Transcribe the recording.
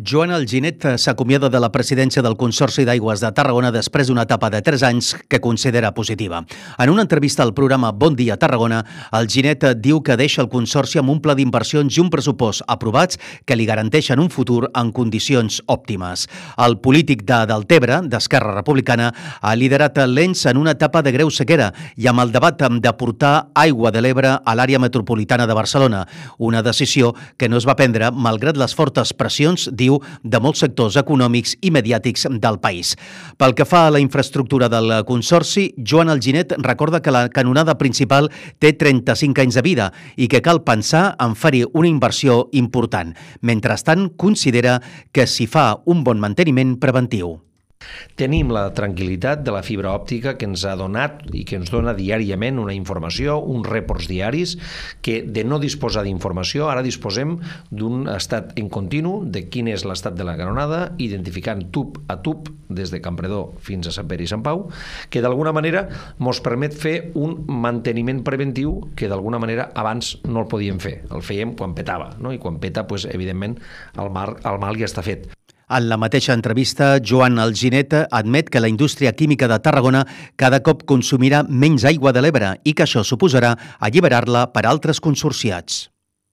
Joan Alginet s'acomiada de la presidència del Consorci d'Aigües de Tarragona després d'una etapa de 3 anys que considera positiva. En una entrevista al programa Bon Dia Tarragona, Alginet diu que deixa el Consorci amb un pla d'inversions i un pressupost aprovats que li garanteixen un futur en condicions òptimes. El polític de Deltebre, d'Esquerra Republicana, ha liderat l'ENS en una etapa de greu sequera i amb el debat de portar aigua de l'Ebre a l'àrea metropolitana de Barcelona, una decisió que no es va prendre malgrat les fortes pressions, diu, de molts sectors econòmics i mediàtics del país. Pel que fa a la infraestructura del Consorci, Joan Alginet recorda que la canonada principal té 35 anys de vida i que cal pensar en fer-hi una inversió important. Mentrestant, considera que s'hi fa un bon manteniment preventiu. Tenim la tranquil·litat de la fibra òptica que ens ha donat i que ens dona diàriament una informació, uns reports diaris, que de no disposar d'informació ara disposem d'un estat en continu de quin és l'estat de la canonada, identificant tub a tub des de Campredó fins a Sant Pere i Sant Pau, que d'alguna manera ens permet fer un manteniment preventiu que d'alguna manera abans no el podíem fer. El fèiem quan petava, no? I quan peta, evidentment, el mal ja està fet. En la mateixa entrevista, Joan Alginet admet que la indústria química de Tarragona cada cop consumirà menys aigua de l'Ebre i que això suposarà alliberar-la per altres consorciats.